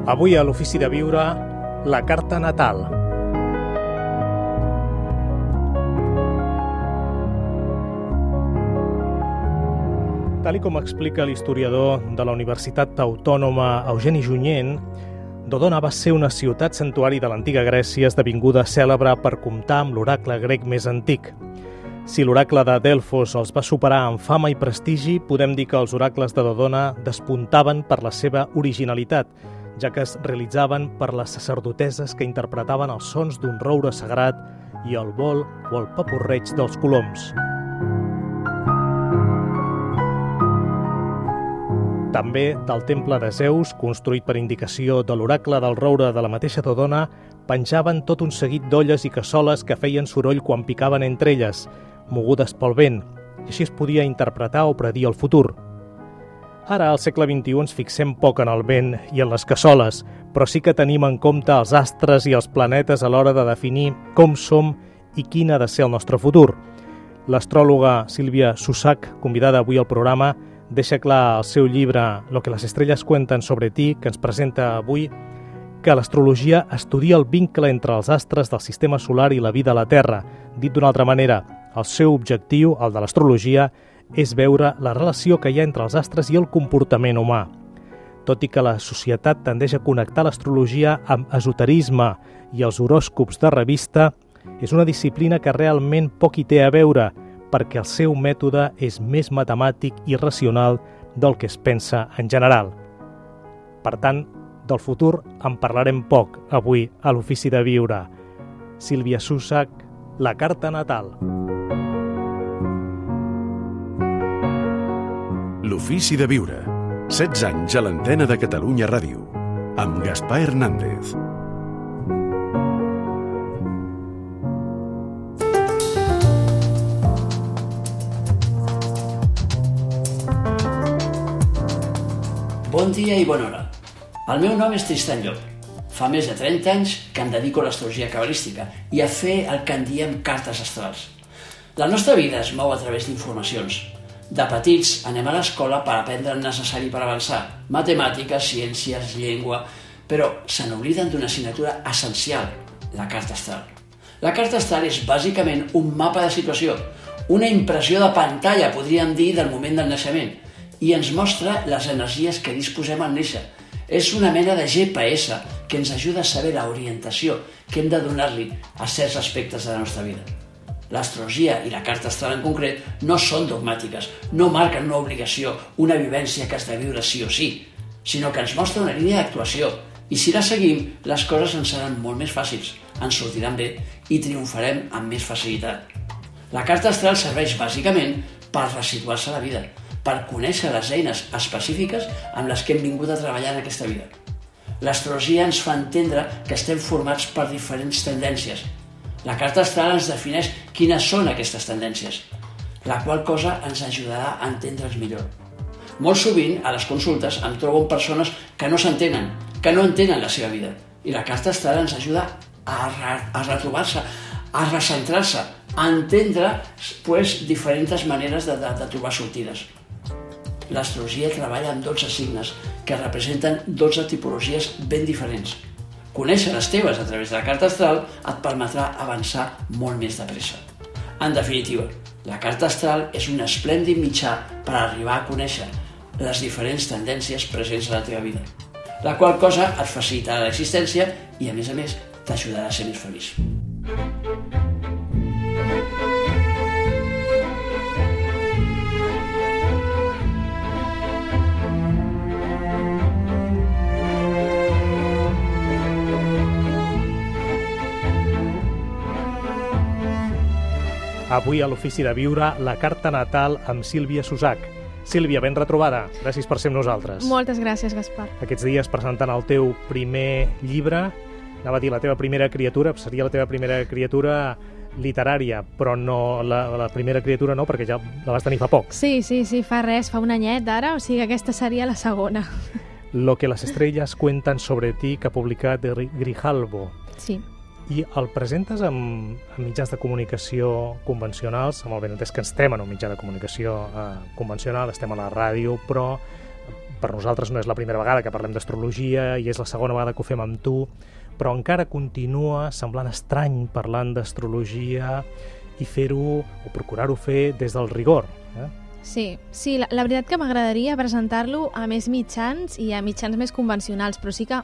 Avui a l'Ofici de Viure, la carta natal. Tal com explica l'historiador de la Universitat Autònoma Eugeni Junyent, Dodona va ser una ciutat santuari de l'antiga Grècia esdevinguda cèlebre per comptar amb l'oracle grec més antic. Si l'oracle de Delfos els va superar en fama i prestigi, podem dir que els oracles de Dodona despuntaven per la seva originalitat, ja que es realitzaven per les sacerdoteses que interpretaven els sons d'un roure sagrat i el vol o el papurreig dels coloms. També del temple de Zeus, construït per indicació de l'oracle del roure de la mateixa Dodona, penjaven tot un seguit d'olles i cassoles que feien soroll quan picaven entre elles, mogudes pel vent, i així es podia interpretar o predir el futur. Ara, al segle XXI, ens fixem poc en el vent i en les cassoles, però sí que tenim en compte els astres i els planetes a l'hora de definir com som i quin ha de ser el nostre futur. L'astròloga Sílvia Susac, convidada avui al programa, deixa clar al seu llibre Lo que las estrellas cuentan sobre ti, que ens presenta avui, que l'astrologia estudia el vincle entre els astres del sistema solar i la vida a la Terra. Dit d'una altra manera, el seu objectiu, el de l'astrologia, és veure la relació que hi ha entre els astres i el comportament humà. Tot i que la societat tendeix a connectar l'astrologia amb esoterisme i els horòscops de revista, és una disciplina que realment poc hi té a veure, perquè el seu mètode és més matemàtic i racional del que es pensa en general. Per tant, del futur en parlarem poc avui a l'Ofici de Viure. Sílvia Susac, la carta natal. L'Ofici de Viure. 16 anys a l'antena de Catalunya Ràdio. Amb Gaspar Hernández. Bon dia i bona hora. El meu nom és Tristan Llop. Fa més de 30 anys que em dedico a l'astrologia cabalística i a fer el que en diem cartes astrals. La nostra vida es mou a través d'informacions. De petits anem a l'escola per aprendre el necessari per avançar, matemàtiques, ciències, llengua, però se n'obliden d'una assignatura essencial, la carta astral. La carta astral és bàsicament un mapa de situació, una impressió de pantalla, podríem dir, del moment del naixement, i ens mostra les energies que disposem al néixer. És una mena de GPS que ens ajuda a saber l'orientació que hem de donar-li a certs aspectes de la nostra vida. L'astrologia i la carta astral en concret no són dogmàtiques, no marquen una obligació, una vivència que has de viure sí o sí, sinó que ens mostra una línia d'actuació i si la seguim, les coses ens seran molt més fàcils, ens sortiran bé i triomfarem amb més facilitat. La carta astral serveix bàsicament per resituar-se a la vida, per conèixer les eines específiques amb les que hem vingut a treballar en aquesta vida. L'astrologia ens fa entendre que estem formats per diferents tendències. La carta astral ens defineix quines són aquestes tendències, la qual cosa ens ajudarà a entendre'ls millor. Molt sovint, a les consultes, em trobo amb persones que no s'entenen, que no entenen la seva vida, i la carta astral ens ajuda a retrobar-se, a recentrar-se, a entendre diferents maneres de trobar sortides. L'astrologia treballa amb 12 signes que representen 12 tipologies ben diferents. Conèixer les teves a través de la carta astral et permetrà avançar molt més de pressa. En definitiva, la carta astral és un esplèndid mitjà per arribar a conèixer les diferents tendències presents a la teva vida, la qual cosa et facilitarà l'existència i, a més, t'ajudarà a ser més feliç. Avui a l'Ofici de Viure, la carta natal amb Sílvia Susac. Sílvia, ben retrobada. Gràcies per ser amb nosaltres. Moltes gràcies, Gaspar. Aquests dies presentant el teu primer llibre, anava a dir la teva primera criatura, seria la teva primera criatura literària, però no la primera criatura no, perquè ja la vas tenir fa poc. Sí, fa res, fa un anyet ara, o sigui aquesta seria la segona. Lo que las estrellas cuentan sobre ti, que ha publicat Grijalbo. Sí. I el presentes amb mitjans de comunicació convencionals, amb el benentès que estem en un mitjà de comunicació convencional, estem a la ràdio, però per nosaltres no és la primera vegada que parlem d'astrologia i és la segona vegada que ho fem amb tu, però encara continua semblant estrany parlant d'astrologia i fer-ho, o procurar-ho fer des del rigor. Sí, la veritat que m'agradaria presentar-lo a més mitjans i a mitjans més convencionals, però sí que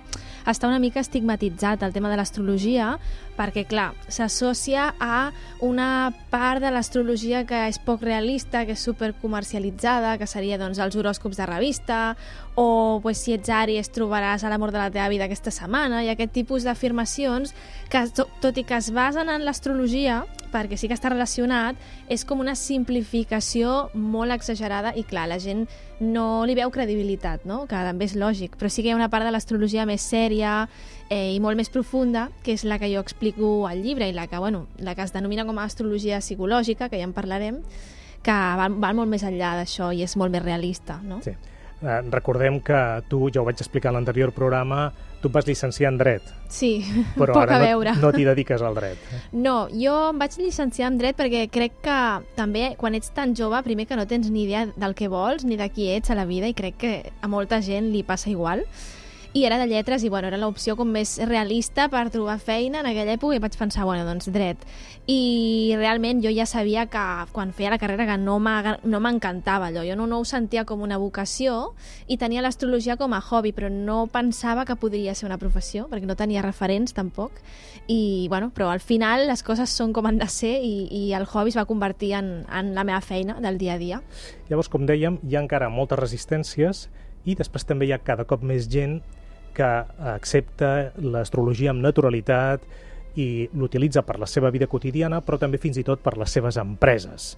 està una mica estigmatitzat el tema de l'astrologia, perquè, clar, s'associa a una part de l'astrologia que és poc realista, que és supercomercialitzada, que seria doncs, els horòscops de revista, o pues, si ets Àries trobaràs a l'amor de la teva vida aquesta setmana, i aquest tipus d'afirmacions que, tot i que es basen en l'astrologia, perquè sí que està relacionat, és com una simplificació molt exagerada i, clar, la gent no li veu credibilitat, no? Que també és lògic, però sí que hi ha una part de l'astrologia més sèria i molt més profunda, que és la que jo explico al llibre i la que es denomina com a astrologia psicològica, que ja en parlarem, que va molt més enllà d'això i és molt més realista, no? Sí. Recordem que tu, ja ho vaig explicar en l'anterior programa, tu et vas llicenciar en Dret. Sí, però poc a ara veure. no t'hi dediques al dret. No, jo em vaig llicenciar en Dret perquè crec que també quan ets tan jove, primer que no tens ni idea del que vols ni de qui ets a la vida, i crec que a molta gent li passa igual. I era de lletres i era l'opció com més realista per trobar feina en aquella època, i vaig pensar, doncs Dret. I realment jo ja sabia que quan feia la carrera que no m'encantava allò, jo no ho sentia com una vocació i tenia l'astrologia com a hobby, però no pensava que podria ser una professió, perquè no tenia referents tampoc, i però al final les coses són com han de ser i el hobby es va convertir en la meva feina del dia a dia. Llavors, com dèiem, hi ha encara moltes resistències i després també hi ha cada cop més gent que accepta l'astrologia amb naturalitat i l'utilitza per la seva vida quotidiana, però també fins i tot per les seves empreses.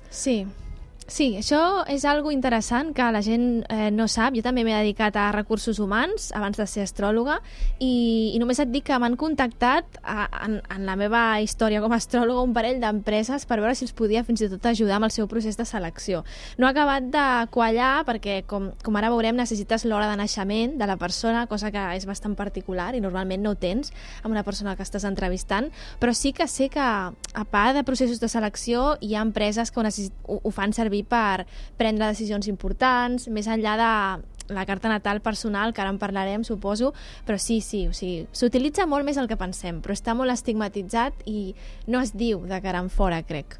Sí, això és algo interessant que la gent no sap. Jo també m'he dedicat a recursos humans abans de ser astròloga i només et dic que m'han contactat en la meva història com a astròloga un parell d'empreses per veure si els podia fins i tot ajudar amb el seu procés de selecció. No ha acabat de quallar perquè, com ara veurem, necessites l'hora de naixement de la persona, cosa que és bastant particular i normalment no ho tens amb una persona que estàs entrevistant, però sí que sé que a part de processos de selecció hi ha empreses que ho fan servir per prendre decisions importants, més enllà de la carta natal personal, que ara en parlarem, suposo, però sí, o sigui, s'utilitza molt més del que pensem, però està molt estigmatitzat i no es diu de cara en fora, crec.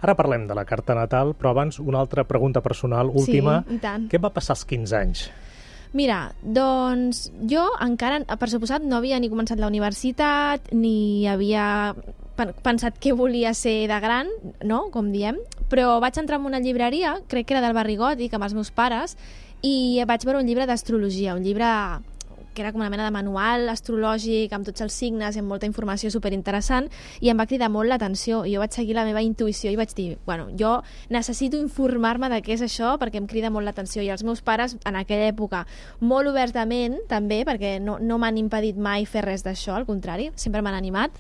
Ara parlem de la carta natal, però abans una altra pregunta personal, última. Sí, i tant. Què va passar als 15 anys? Mira, doncs jo encara, per suposat, no havia ni començat la universitat, ni havia pensat què volia ser de gran, no?, com diem, però vaig entrar en una llibreria, crec que era del Barri Gòtic, amb els meus pares, i vaig veure un llibre d'astrologia, un llibre que era com una mena de manual astrològic amb tots els signes i amb molta informació superinteressant, i em va cridar molt l'atenció i jo vaig seguir la meva intuïció i vaig dir, jo necessito informar-me de què és això perquè em crida molt l'atenció, i els meus pares en aquella època molt obertament també, perquè no m'han impedit mai fer res d'això, al contrari, sempre m'han animat,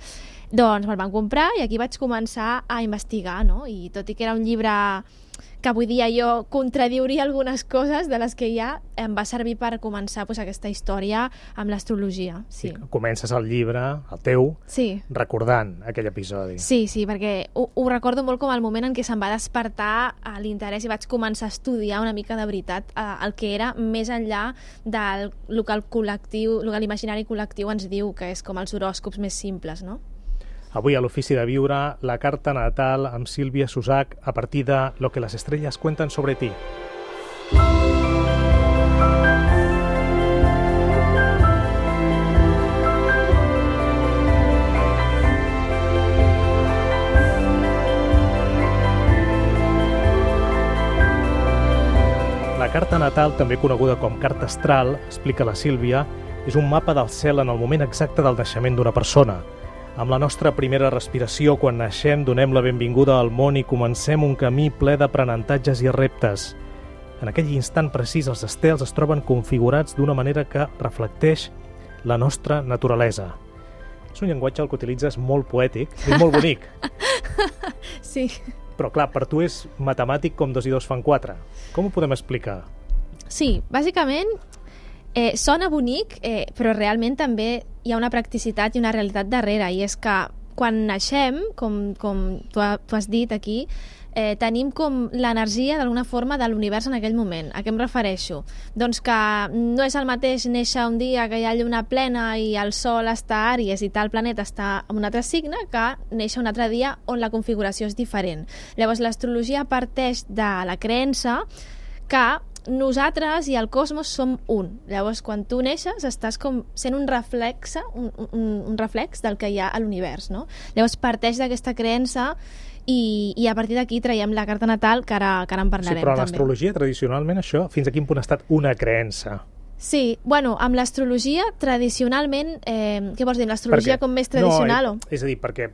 doncs me'l van comprar i aquí vaig començar a investigar, no? I tot i que era un llibre que avui dia jo contradiuria algunes coses de les que hi ha, em va servir per començar aquesta història amb l'astrologia. Sí. Comences el llibre, el teu, recordant aquell episodi. Sí, perquè ho recordo molt com el moment en què se'm va despertar l'interès i vaig començar a estudiar una mica de veritat el que era més enllà del que l'imaginari col·lectiu ens diu, que és com els horòscops més simples, no? Avui a l'Ofici de Viure, la carta natal amb Sílvia Susac a partir de Lo que las estrellas cuentan sobre ti. La carta natal, també coneguda com carta astral, explica la Sílvia, és un mapa del cel en el moment exacte del naixement d'una persona. Amb la nostra primera respiració, quan naixem, donem la benvinguda al món i comencem un camí ple d'aprenentatges i reptes. En aquell instant precís, els estels es troben configurats d'una manera que reflecteix la nostra naturalesa. És un llenguatge que utilitzes molt poètic i molt bonic. Sí. Però clar, per tu és matemàtic com 2 i 2 fan 4. Com ho podem explicar? Sí, bàsicament sona bonic, però realment també hi ha una practicitat i una realitat darrere, i és que quan naixem, com tu has dit aquí, tenim com l'energia d'alguna forma de l'univers en aquell moment. A què em refereixo? Doncs que no és el mateix néixer un dia que hi ha lluna plena i el sol està a Àries i tal planeta està en un altre signe que néixer un altre dia on la configuració és diferent. Llavors l'astrologia parteix de la creença que nosaltres i el cosmos som un. Llavors, quan tu neixes, estàs com sent un reflex del que hi ha a l'univers, no? Llavors, parteix d'aquesta creença i a partir d'aquí traiem la carta natal, que ara en parlarem. Sí, però també. l'astrologia, tradicionalment, això, fins a quin punt ha estat una creença? Sí, bueno, amb l'astrologia, tradicionalment, què vols dir, l'astrologia com més tradicional? No, és a dir, perquè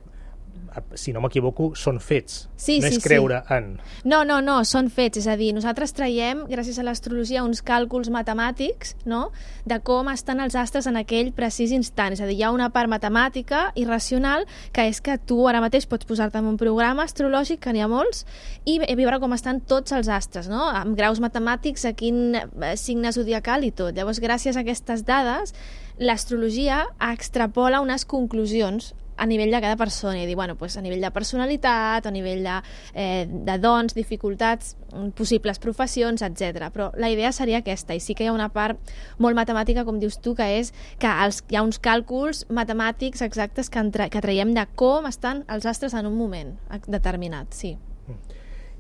si no m'equivoco, són fets. Sí, no és creure en. No, són fets. És a dir, nosaltres traiem, gràcies a l'astrologia, uns càlculs matemàtics, no?, de com estan els astres en aquell precís instant. És a dir, hi ha una part matemàtica i racional que és que tu ara mateix pots posar-te en un programa astrològic, que n'hi ha molts, i veure com estan tots els astres, no?, amb graus matemàtics, a quin signe zodiacal i tot. Llavors, gràcies a aquestes dades, l'astrologia extrapola unes conclusions a nivell de cada persona i dir, bueno, pues a nivell de personalitat, a nivell de dons, dificultats, possibles professions, etc. Però la idea seria aquesta, i sí que hi ha una part molt matemàtica, com dius tu, que és que hi ha uns càlculs matemàtics exactes que traiem de com estan els astres en un moment determinat, sí.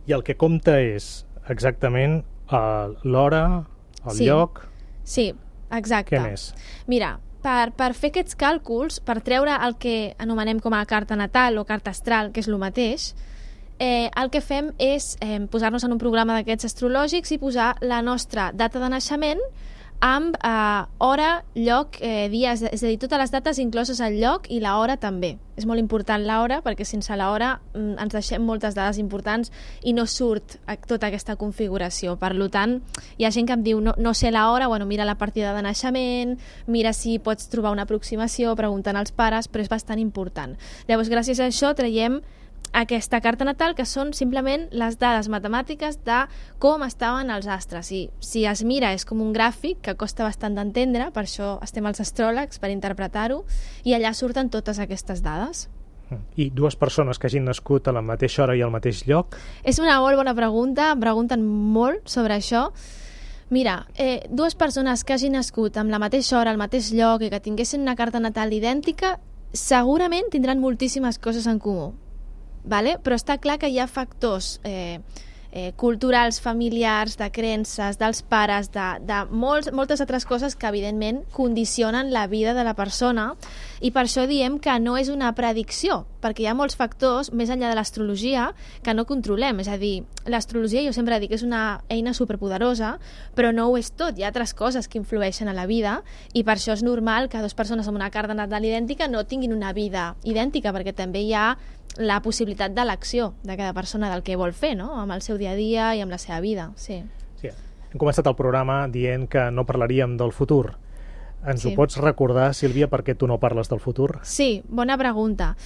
I el que compta és exactament l'hora, el lloc... Sí, exacte. Què més? Mira, per fer aquests càlculs, per treure el que anomenem com a carta natal o carta astral, que és el mateix, el que fem és posar-nos en un programa d'aquests astrològics i posar la nostra data de naixement amb hora, lloc, dia, és a dir, totes les dates incloses el lloc i l'hora també. És molt important l'hora perquè sense l'hora ens deixem moltes dades importants i no surt tota aquesta configuració. Per tant, hi ha gent que em diu no sé l'hora, bueno, mira la partida de naixement, mira si pots trobar una aproximació preguntant als pares, però és bastant important. Llavors, gràcies a això traiem aquesta carta natal, que són simplement les dades matemàtiques de com estaven els astres. I si es mira és com un gràfic que costa bastant d'entendre, per això estem els astròlegs per interpretar-ho, i allà surten totes aquestes dades. I dues persones que hagin nascut a la mateixa hora i al mateix lloc? És una molt bona pregunta, em pregunten molt sobre això. Mira, dues persones que hagin nascut amb la mateixa hora, al mateix lloc i que tinguessin una carta natal idèntica, segurament tindran moltíssimes coses en comú. Vale? Però està clar que hi ha factors culturals, familiars, de creences, dels pares, de moltes altres coses que evidentment condicionen la vida de la persona, i per això diem que no és una predicció, perquè hi ha molts factors més enllà de l'astrologia que no controlem. És a dir, l'astrologia, jo sempre dic, és una eina superpoderosa, però no ho és tot. Hi ha altres coses que influeixen a la vida, i per això és normal que dues persones amb una carta natal idèntica no tinguin una vida idèntica, perquè també hi ha la possibilitat d'elecció de cada persona del que vol fer, no?, amb el seu dia a dia i amb la seva vida, sí. Sí. Hem començat el programa dient que no parlaríem del futur. Ens ho pots recordar, Sílvia, per què tu no parles del futur? Sí, bona pregunta.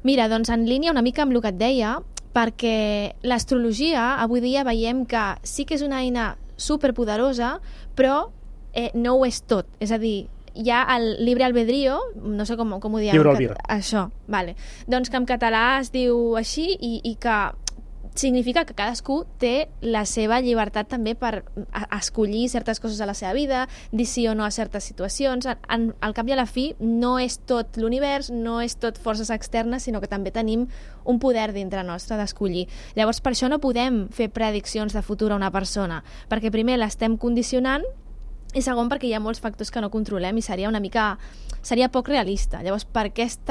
Mira, doncs en línia una mica amb el que et deia, perquè l'astrologia avui dia veiem que sí que és una eina superpoderosa, però no ho és tot. És a dir, hi ha el libre albedrío, no sé com ho diem. Lliure albir. Això, vale. Doncs que en català es diu així i que significa que cadascú té la seva llibertat també per escollir certes coses a la seva vida, dir sí o no a certes situacions. Al cap i a la fi no és tot l'univers, no és tot forces externes, sinó que també tenim un poder dintre nostre d'escollir. Llavors, per això no podem fer prediccions de futur a una persona, perquè primer l'estem condicionant i segon perquè hi ha molts factors que no controlem i seria poc realista. Llavors, per aquest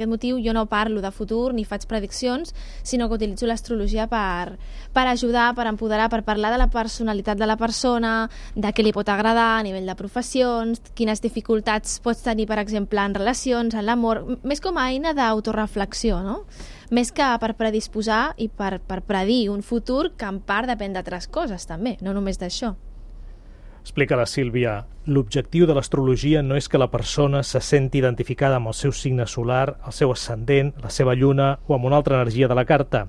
motiu jo no parlo de futur ni faig prediccions, sinó que utilitzo l'astrologia per ajudar, per empoderar, per parlar de la personalitat de la persona, de què li pot agradar a nivell de professions, quines dificultats pots tenir, per exemple, en relacions, en l'amor, més com a eina d'autoreflexió, no?, més que per predisposar i per predir un futur que en part depèn d'altres coses també, no només d'això. Explica la Sílvia, l'objectiu de l'astrologia no és que la persona se senti identificada amb el seu signe solar, el seu ascendent, la seva lluna o amb una altra energia de la carta.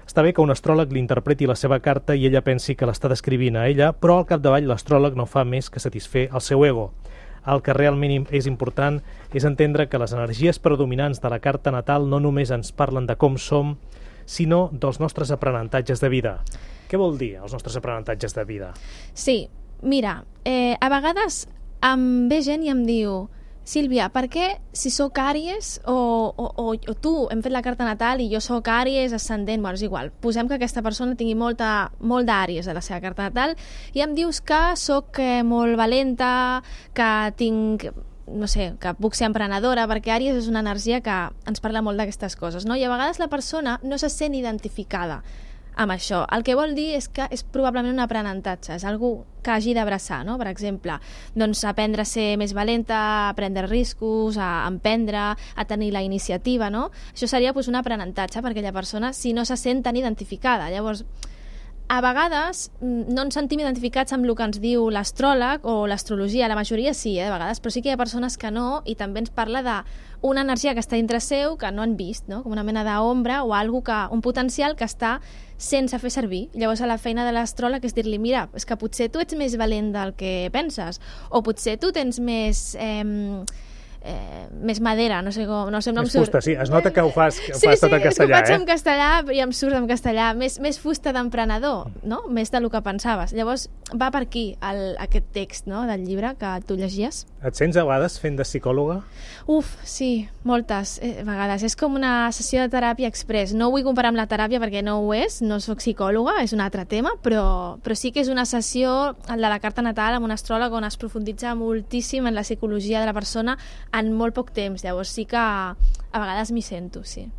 Està bé que un astròleg li interpreti la seva carta i ella pensi que l'està descrivint a ella, però al capdavall l'astròleg no fa més que satisfer el seu ego. El que realment és important és entendre que les energies predominants de la carta natal no només ens parlen de com som, sinó dels nostres aprenentatges de vida. Què vol dir els nostres aprenentatges de vida? Sí, mira, a vegades em ve gent i em diu: Sílvia, per què si sóc Àries o tu hem fet la carta natal i jo sóc Àries ascendent, bueno, és igual, posem que aquesta persona tingui molt d'Àries a la seva carta natal i em dius que sóc molt valenta, que tinc, no sé, que puc ser emprenedora, perquè Àries és una energia que ens parla molt d'aquestes coses, no? I a vegades la persona no se sent identificada amb això. El que vol dir és que és probablement un aprenentatge, és algú que hagi d'abraçar, no? Per exemple, doncs aprendre a ser més valenta, a prendre riscos, a emprendre, a tenir la iniciativa, no? Això seria doncs, un aprenentatge per aquella persona si no se sent tan identificada. Llavors, a vegades no ens sentim identificats amb el que ens diu l'astròleg o l'astrologia, la majoria sí, de vegades, però sí que hi ha persones que no, i també ens parla d'una energia que està dintre seu que no han vist, no? Com una mena d'ombra o un potencial que està sense fer servir. Llavors a la feina de l'astròleg és dir-li: mira, és que potser tu ets més valent del que penses, o potser tu tens més madera, no sé com... No sé, no més fusta, sí, es nota que ho fas tot en castellà, és que ho faig en castellà i em surt en castellà. Més fusta d'emprenedor, no? Més del que pensaves. Llavors va per aquí aquest text, no?, del llibre que tu llegies. Et sents a vegades fent de psicòloga? Uf, sí, moltes vegades. És com una sessió de teràpia express. No ho vull comparar amb la teràpia perquè no ho és, no soc psicòloga, és un altre tema, però sí que és una sessió, el de la carta natal, amb un astròleg on es profunditza moltíssim en la psicologia de la persona en molt poc temps. Llavors sí que a vegades m'hi sento, sí.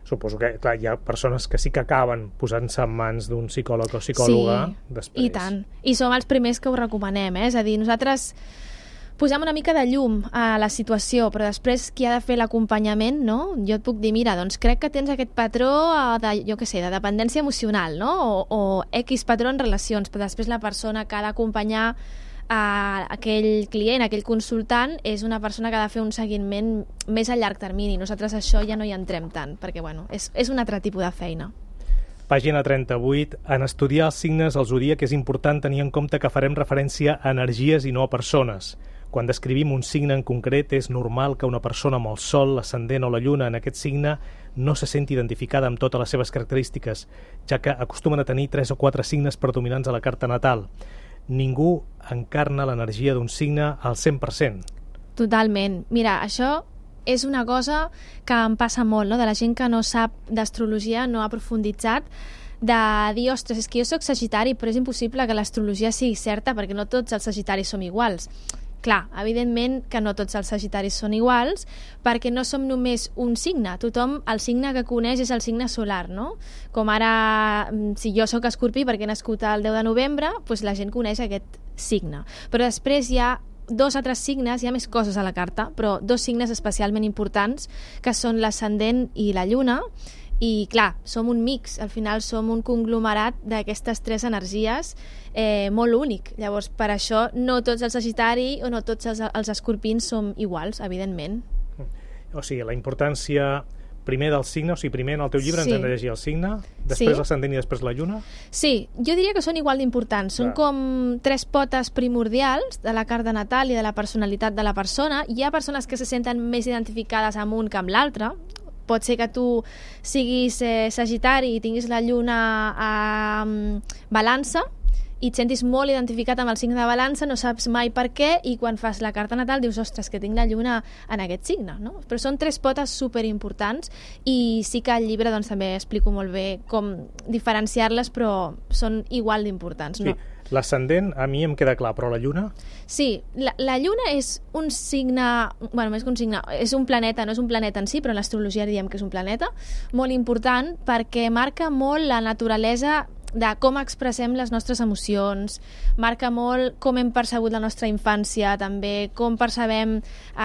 Suposo que, clar, hi ha persones que sí que acaben posant-se en mans d'un psicòleg o psicòloga després. I tant. I som els primers que ho recomanem, És a dir, nosaltres posem una mica de llum a la situació, però després qui ha de fer l'acompanyament, no? Jo et puc dir: mira, doncs crec que tens aquest patró de, jo què sé, de dependència emocional, no? O X patró en relacions, però després la persona que ha d'acompanyar a aquell client, aquell consultant, és una persona que ha de fer un seguiment més a llarg termini. Nosaltres això ja no hi entrem tant, perquè bueno, és un altre tipus de feina. Pàgina 38. En estudiar els signes al zodíac és important tenir en compte que farem referència a energies i no a persones. Quan descrivim un signe en concret, és normal que una persona amb el sol, l'ascendent o la lluna en aquest signe no se senti identificada amb totes les seves característiques, ja que acostumen a tenir 3 o 4 signes predominants a la carta natal. Ningú encarna l'energia d'un signe al 100%. Totalment. Mira, això és una cosa que em passa molt, no? De la gent que no sap d'astrologia, no ha profunditzat, de dir: ostres, és que jo soc sagitari, però és impossible que l'astrologia sigui certa perquè no tots els sagitaris som iguals. Clar, evidentment que no tots els sagitaris són iguals, perquè no som només un signe. Tothom, el signe que coneix és el signe solar, no? Com ara, si jo sóc escorpí perquè he nascut el 10 de novembre, doncs la gent coneix aquest signe. Però després hi ha 2 altres signes, hi ha més coses a la carta, però 2 signes especialment importants, que són l'ascendent i la lluna. I clar, som un mix, al final som un conglomerat d'aquestes 3 energies molt únic. Llavors, per això no tots els sagitari o no tots els escorpins som iguals, evidentment. O sigui, la importància primer del signe, o sigui, primer en el teu llibre ens hem de llegir el signe, després l'ascendent i després la lluna? Sí, jo diria que són igual d'importants. Són com 3 potes primordials de la carta natal i de la personalitat de la persona. Hi ha persones que se senten més identificades amb un que amb l'altre. Pot ser que tu siguis sagitari i tinguis la lluna a balança i et sentis molt identificat amb el signe de balança, no saps mai per què, i quan fas la carta natal dius: ostres, que tinc la lluna en aquest signe, no? Però són 3 potes superimportants i sí que al llibre doncs, també explico molt bé com diferenciar-les, però són igual d'importants, no? Sí. L'ascendent a mi em queda clar, però la lluna? Sí, la lluna és un signe, bueno, més que un signe, és un planeta, no és un planeta en si, però en l'astrologia diem que és un planeta, molt important perquè marca molt la naturalesa de com expressem les nostres emocions, marca molt com hem percebut la nostra infància, també com percebem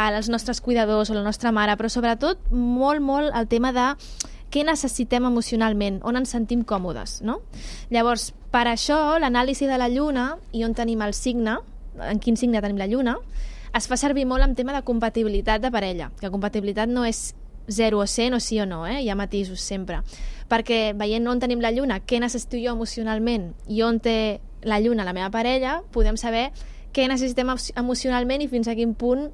els nostres cuidadors o la nostra mare, però sobretot molt el tema de què necessitem emocionalment, on ens sentim còmodes, no? Llavors, per això, l'anàlisi de la lluna i on tenim el signe, en quin signe tenim la lluna, es fa servir molt en tema de compatibilitat de parella, que compatibilitat no és 0 o 100 o sí o no, hi ha matisos sempre, perquè veient on tenim la lluna, què necessito jo emocionalment i on té la lluna la meva parella, podem saber què necessitem emocionalment i fins a quin punt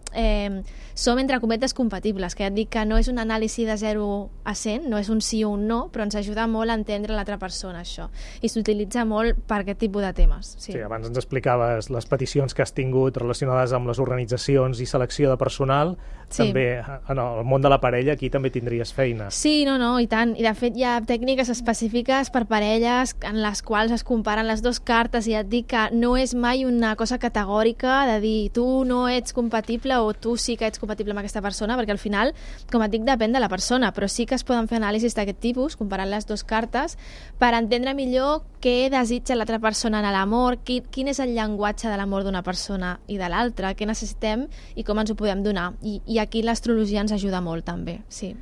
som, entre cometes, compatibles, que ja et dic que no és un anàlisi de 0 a 100, no és un sí o un no, però ens ajuda molt a entendre l'altra persona, això, i s'utilitza molt per aquest tipus de temes. Sí, abans ens explicaves les peticions que has tingut relacionades amb les organitzacions i selecció de personal, també en el món de la parella aquí també tindries feina. Sí, no, i tant, i de fet hi ha tècniques específiques per parelles en les quals es comparen les dues cartes i et dic que no és mai una cosa categòrica de dir tu no ets compatible o tu sí que ets compatible amb aquesta persona, perquè al final, com et dic, depèn de la persona, però sí que es poden fer anàlisis d'aquest tipus, comparant les dues cartes, per entendre millor què desitja l'altra persona en l'amor, quin és el llenguatge de l'amor d'una persona i de l'altra, què necessitem i com ens ho podem donar. I aquí l'astrologia ens ajuda molt també, sí.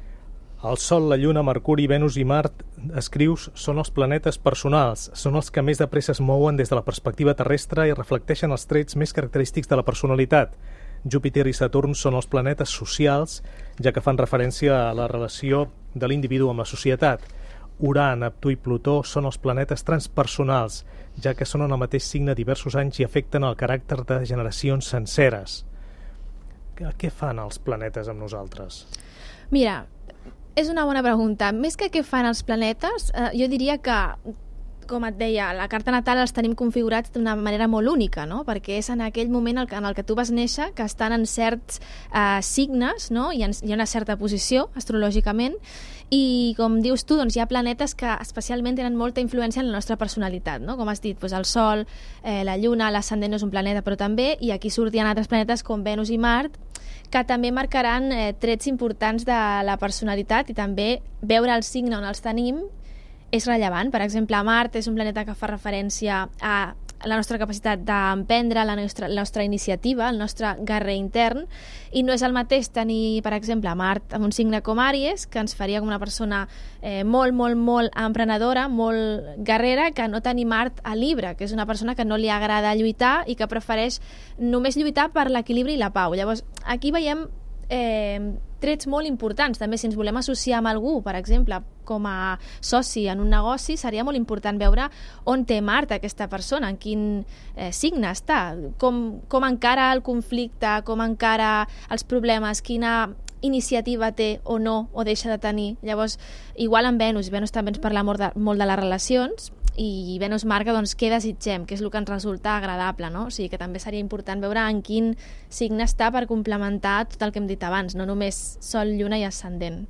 El Sol, la Lluna, Mercuri, Venus i Mart, escrius, són els planetes personals, són els que més de pressa es mouen des de la perspectiva terrestre i reflecteixen els trets més característics de la personalitat. Júpiter i Saturn són els planetes socials, ja que fan referència a la relació de l'individu amb la societat. Urà, Neptú i Plutó són els planetes transpersonals, ja que són en el mateix signe diversos anys i afecten el caràcter de generacions senceres. Què fan els planetes amb nosaltres? Mira, és una bona pregunta. Més que què fan els planetes, jo diria que, com et deia, la carta natal els tenim configurats d'una manera molt única, no? Perquè és en aquell moment en el que tu vas néixer que estan en certs signes, no? Hi ha una certa posició astrològicament, i com dius tu, doncs hi ha planetes que especialment tenen molta influència en la nostra personalitat, no? Com has dit, doncs el Sol, la Lluna, l'ascendent no és un planeta, però també, i aquí sortien altres planetes com Venus i Mart, que també marcaran trets importants de la personalitat i també veure el signe on els tenim és rellevant. Per exemple, Mart és un planeta que fa referència a la nostra capacitat d'emprendre, la nostra iniciativa, el nostre guerrer intern, i no és el mateix tenir, per exemple, Mart en un signe com Àries, que ens faria com una persona molt emprenedora, molt guerrera, que no tenir Mart a Libra, que és una persona que no li agrada lluitar i que prefereix només lluitar per l'equilibri i la pau. Llavors, aquí veiem trets molt importants. També, si ens volem associar amb algú, per exemple, com a soci en un negoci, seria molt important veure on té Mart aquesta persona, en quin signe està, com encara el conflicte, com encara els problemes, quina iniciativa té o no, o deixa de tenir. Llavors, igual amb Venus també ens parla molt de les relacions, i Venus marca doncs, què desitgem, què és el que ens resulta agradable, no? O sigui que també seria important veure en quin signe està per complementar tot el que hem dit abans, no només Sol, Lluna i ascendent.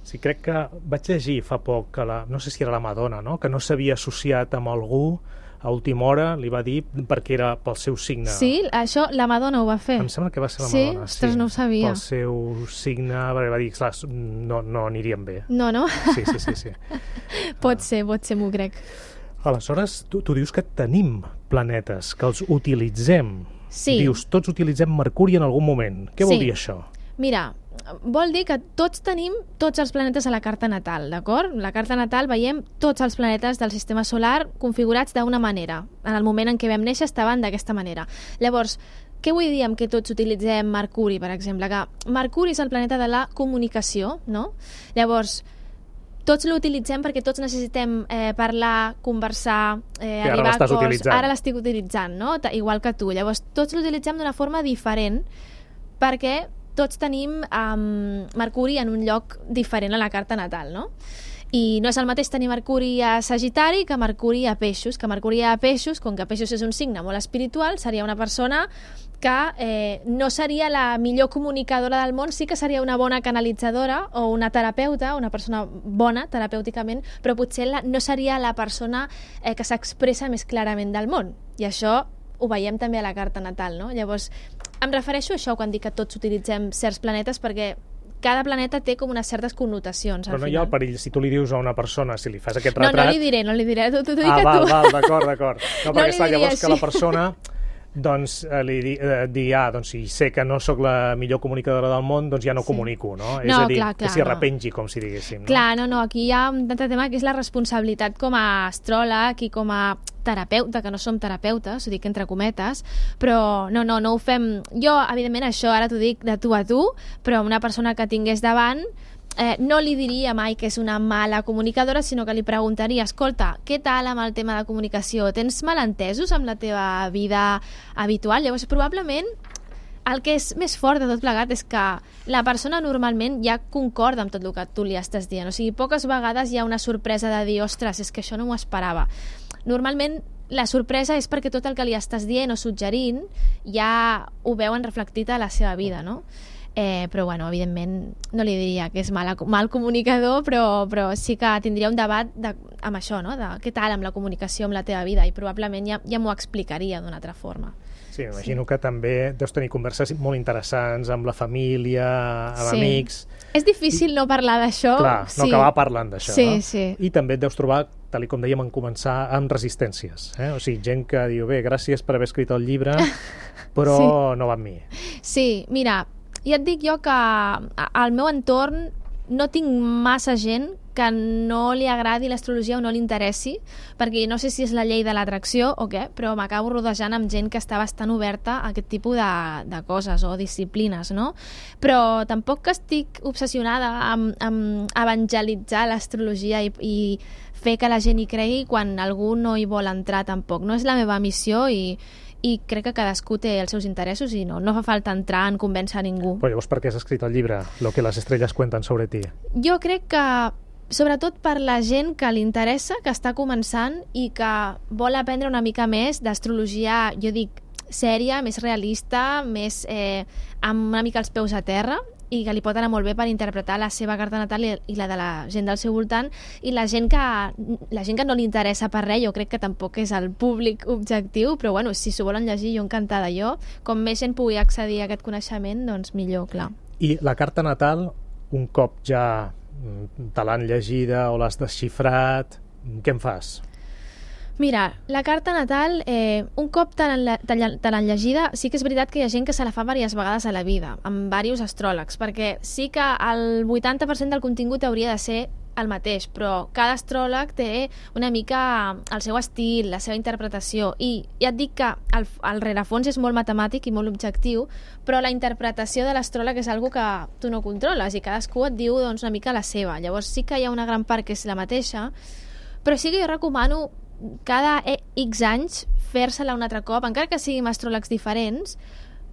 Sí, crec que vaig llegir fa poc que no sé si era la Madonna, no? Que no s'havia associat amb algú a última hora, li va dir perquè era pel seu signe. Sí, això la Madonna ho va fer. Em sembla que va ser la Madonna. Sí? Ostres, no ho sabia. Pel seu signe, perquè va dir, clar, no anirien bé. No? Sí. Pot ser, m'ho crec. Aleshores, tu dius que tenim planetes, que els utilitzem. Sí. Dius, tots utilitzem Mercuri en algun moment. Què vol dir això? Mira, vol dir que tots tenim tots els planetes a la carta natal, d'acord? La carta natal veiem tots els planetes del sistema solar configurats d'una manera. En el moment en què vam néixer estaven d'aquesta manera. Llavors, què vull dir amb que tots utilitzem Mercuri, per exemple? Que Mercuri és el planeta de la comunicació, no? Llavors, tots l'utilitzem perquè tots necessitem parlar, conversar, arribar a acords. Ara l'estic utilitzant, no? Igual que tu. Llavors, tots l'utilitzem d'una forma diferent perquè tots tenim Mercuri en un lloc diferent a la carta natal, no? I no és el mateix tenir Mercuri a Sagitari que Mercuri a Peixos. Que Mercuri a Peixos, com que Peixos és un signe molt espiritual, seria una persona que no seria la millor comunicadora del món, sí que seria una bona canalitzadora o una terapeuta, una persona bona terapèuticament, però potser no seria la persona que s'expressa més clarament del món. I això ho veiem també a la carta natal, no? Llavors, em refereixo a això quan dic que tots utilitzem certs planetes perquè cada planeta té com unes certes connotacions. Però no hi ha el perill, si tu li dius a una persona, si li fas aquest retrat... No li diré, t'ho dic a tu. Val, d'acord. No, perquè està, llavors que la persona doncs li dir, doncs si sé que no sóc la millor comunicadora del món, doncs ja no comunico, no? És a dir, que s'hi arrepengi, com si diguéssim. Clar, no, aquí hi ha un altre tema que és la responsabilitat com a astròleg i com a terapeuta, que no som terapeutes, ho dic entre cometes, però no ho fem... Jo, evidentment, això ara t'ho dic de tu a tu, però una persona que tingués davant no li diria mai que és una mala comunicadora, sinó que li preguntaria, escolta, què tal amb el tema de comunicació? Tens malentesos amb la teva vida habitual? Llavors, probablement, el que és més fort de tot plegat és que la persona normalment ja concorda amb tot el que tu li estàs dient. O sigui, poques vegades hi ha una sorpresa de dir, ostres, és que això no m'ho esperava. Normalment la sorpresa és perquè tot el que li estàs dient o suggerint ja ho veuen reflectit a la seva vida, no? Però, bueno, evidentment no li diria que és mal comunicador, però sí que tindria un debat amb això, no? De què tal amb la comunicació amb la teva vida, i probablement ja m'ho explicaria d'una altra forma. Sí, m'imagino que també deus tenir converses molt interessants amb la família, amb amics. És difícil no parlar d'això. Clar, no acabar parlant d'això, no? Sí. I també et deus trobar, tal com dèiem en començar, amb resistències. O sigui, gent que diu, bé, gràcies per haver escrit el llibre, però no va amb mi. Sí, mira, ja et dic jo que al meu entorn no tinc massa gent que no li agradi l'astrologia o no li interessi, perquè no sé si és la llei de l'atracció o què, però m'acabo rodejant amb gent que està bastant oberta a aquest tipus de coses o disciplines, no? Però tampoc que estic obsessionada amb evangelitzar l'astrologia i fer que la gent hi cregui quan algú no hi vol entrar tampoc. No és la meva missió i crec que cadascú té els seus interessos i no fa falta entrar en convèncer a ningú. Però llavors per què has escrit el llibre, Lo que las estrellas cuentan sobre ti? Jo crec que sobretot per la gent que li interessa, que està començant i que vol aprendre una mica més d'astrologia, jo dic, sèria, més realista, més amb una mica els peus a terra, i que li pot anar molt bé per interpretar la seva carta natal i la de la gent del seu voltant, i la gent que no li interessa per res, jo crec que tampoc és el públic objectiu, però bueno, si s'ho volen llegir, jo encantada. Com més gent pugui accedir a aquest coneixement, doncs millor, clar. I la carta natal, un cop ja te l'han llegida o l'has desxifrat, què en fas? Mira, la carta natal, un cop te l'han llegida, sí que és veritat que hi ha gent que se la fa diverses vegades a la vida, amb diversos astròlegs, perquè sí que el 80% del contingut hauria de ser el mateix, però cada astròleg té una mica el seu estil, la seva interpretació, i ja et dic que el rerefons és molt matemàtic i molt objectiu, però la interpretació de l'astròleg és algo que tu no controles i cadascú et diu doncs, una mica la seva. Llavors sí que hi ha una gran part que és la mateixa, però sí que jo recomano cada X anys fer-se-la un altre cop, encara que siguin astròlegs diferents,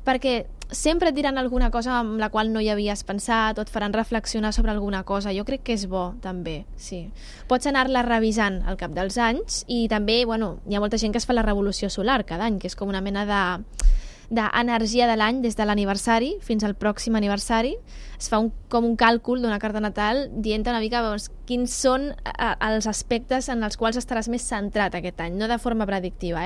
perquè sempre et diran alguna cosa amb la qual no hi havies pensat o et faran reflexionar sobre alguna cosa. Jo crec que és bo, també, sí. Pots anar-la revisant al cap dels anys i també, bueno, hi ha molta gent que es fa la revolució solar cada any, que és com una mena d'energia de l'any des de l'aniversari fins al pròxim aniversari. Es fa com un càlcul d'una carta natal dient una mica quins són els aspectes en els quals estaràs més centrat aquest any, no de forma predictiva,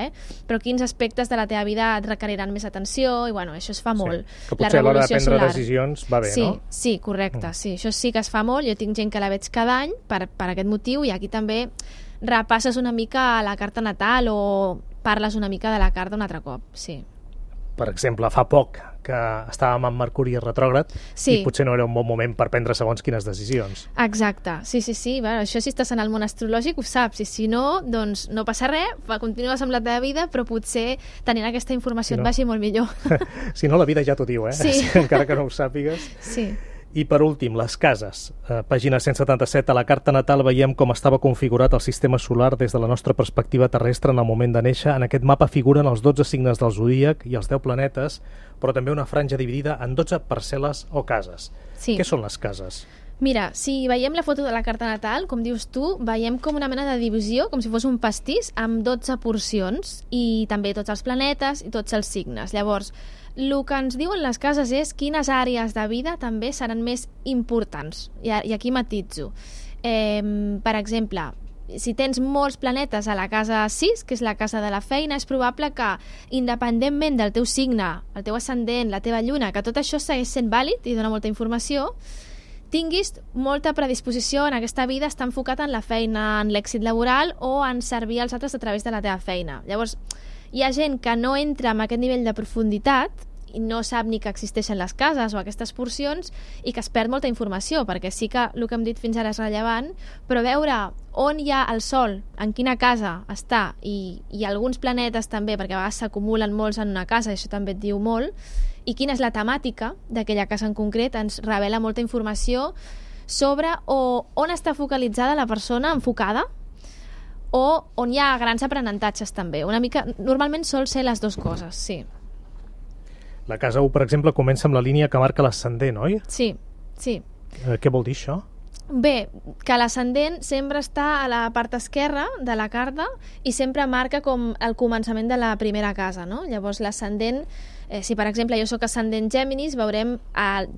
però quins aspectes de la teva vida et requeriran més atenció, i bueno, això es fa molt. Que potser a l'hora de prendre decisions va bé, no? Sí, correcte, sí, això sí que es fa molt. Jo tinc gent que la veig cada any per aquest motiu, i aquí també repasses una mica la carta natal o parles una mica de la carta un altre cop, sí. Per exemple, fa poc que estàvem amb Mercuri retrògrad i potser no era un bon moment per prendre segons quines decisions. Exacte, sí. Bueno, això si estàs en el món astrològic ho saps, i si no, doncs no passa res, continues amb la teva vida, però potser tenint aquesta informació et vagi molt millor. Si no, la vida ja t'ho diu, Sí. Encara que no ho sàpigues. Sí. I per últim, les cases. Pàgina 177, a la carta natal veiem com estava configurat el sistema solar des de la nostra perspectiva terrestre en el moment de néixer. En aquest mapa figuren els 12 signes del zodíac i els 10 planetes, però també una franja dividida en 12 parcel·les o cases. Sí. Què són les cases? Mira, si veiem la foto de la carta natal, com dius tu, veiem com una mena de divisió, com si fos un pastís, amb 12 porcions, i també tots els planetes i tots els signes. Llavors, el que ens diuen les cases és quines àrees de vida també seran més importants. I aquí matitzo. Per exemple, si tens molts planetes a la casa 6, que és la casa de la feina, és probable que, independentment del teu signe, el teu ascendent, la teva lluna, que tot això segueix sent vàlid i dona molta informació, tinguis molta predisposició en aquesta vida, està enfocat en la feina, en l'èxit laboral o en servir als altres a través de la teva feina. Llavors, hi ha gent que no entra en aquest nivell de profunditat i no sap ni que existeixen les cases o aquestes porcions i que es perd molta informació, perquè sí que el que hem dit fins ara és rellevant, però veure on hi ha el Sol, en quina casa està, i alguns planetes també, perquè a vegades s'acumulen molts en una casa, i això també et diu molt, i quina és la temàtica d'aquella casa en concret, ens revela molta informació sobre on està focalitzada la persona enfocada o on hi ha grans aprenentatges també. Una mica, normalment sol ser les dues coses, sí. La casa 1, per exemple, comença amb la línia que marca l'ascendent, oi? Sí, sí. Què vol dir això? Bé, que l'ascendent sempre està a la part esquerra de la carta i sempre marca com el començament de la primera casa, no? Llavors l'ascendent, si per exemple jo sóc ascendent Géminis, veurem el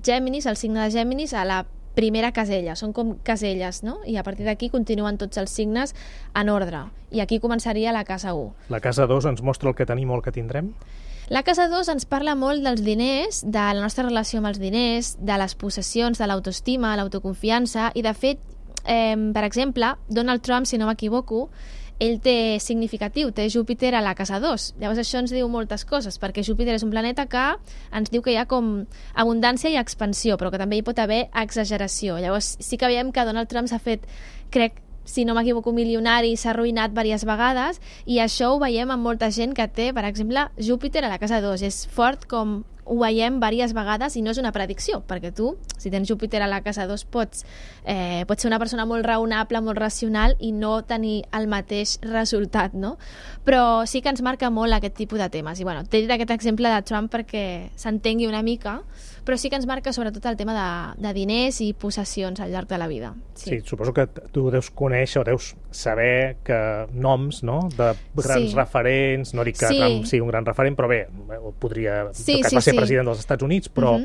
signe de Géminis a la primera casella, són com caselles, no? I a partir d'aquí continuen tots els signes en ordre. I aquí començaria la casa 1. La casa 2 ens mostra el que tenim o el que tindrem? La casa 2 ens parla molt dels diners, de la nostra relació amb els diners, de les possessions, de l'autoestima, l'autoconfiança, i de fet, per exemple, Donald Trump, si no m'equivoco, ell té significatiu, té Júpiter a la casa 2. Llavors això ens diu moltes coses, perquè Júpiter és un planeta que ens diu que hi ha com abundància i expansió, però que també hi pot haver exageració. Llavors sí que veiem que Donald Trump s'ha fet, crec, si no m'equivoco, milionari, s'ha arruïnat diverses vegades, i això ho veiem amb molta gent que té, per exemple, Júpiter a la casa 2. És fort com ho veiem diverses vegades i no és una predicció, perquè tu, si tens Júpiter a la casa 2, pots ser una persona molt raonable, molt racional i no tenir el mateix resultat, no? Però sí que ens marca molt aquest tipus de temes. I bueno, t'he dit aquest exemple de Trump perquè s'entengui una mica, però sí que ens marca sobretot el tema de diners i possessions al llarg de la vida. Sí, suposo que tu deus conèixer o deus saber que noms, no?, de grans referents, no dic que Trump sigui un gran referent, però bé, podria, en tot cas va ser president dels Estats Units, però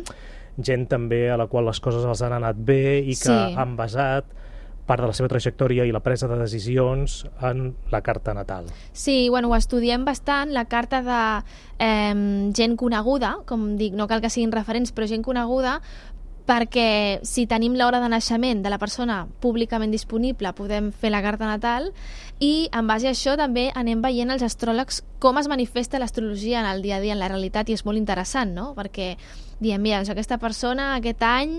gent també a la qual les coses els han anat bé i que han basat part de la seva trajectòria i la presa de decisions en la carta natal. Sí, bueno, ho estudiem bastant, la carta de gent coneguda, com dic, no cal que siguin referents, però gent coneguda, perquè si tenim l'hora de naixement de la persona públicament disponible podem fer la carta natal i en base a això també anem veient els astròlegs com es manifesta l'astrologia en el dia a dia, en la realitat, i és molt interessant, no? Perquè diem, mira, doncs aquesta persona aquest any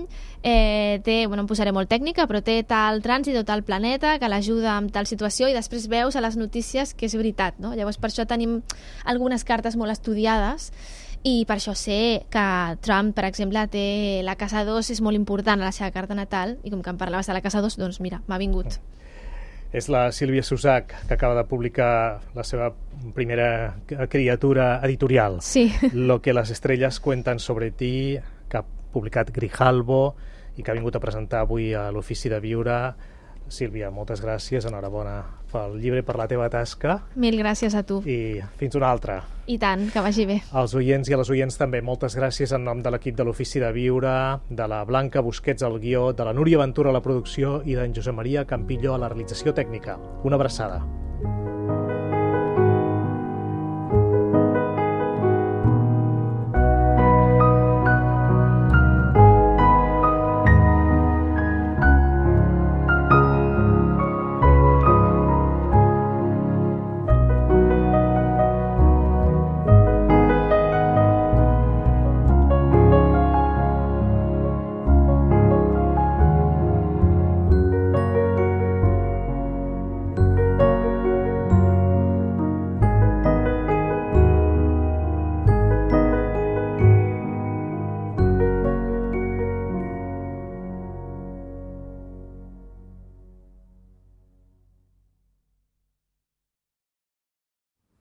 té, bueno, em posaré molt tècnica, però té tal trànsit o tal planeta que l'ajuda amb tal situació i després veus a les notícies que és veritat, no? Llavors per això tenim algunes cartes molt estudiades i per això sé que Trump, per exemple, té la casa 2, és molt important a la seva carta natal, i com que em parlaves de la casa 2, doncs mira, m'ha vingut. És la Sílvia Susac, que acaba de publicar la seva primera criatura editorial. Sí. Lo que las estrellas cuentan sobre ti, que ha publicat Grijalbo i que ha vingut a presentar avui a l'Ofici de Viure. Sílvia, moltes gràcies, enhorabona pel llibre, per la teva tasca. Mil gràcies a tu. I fins una altra. I tant, que vagi bé. Als oients i a les oients també, moltes gràcies en nom de l'equip de l'Ofici de Viure, de la Blanca Busquets al guió, de la Núria Ventura a la producció i d'en Josep Maria Campillo a la realització tècnica. Una abraçada.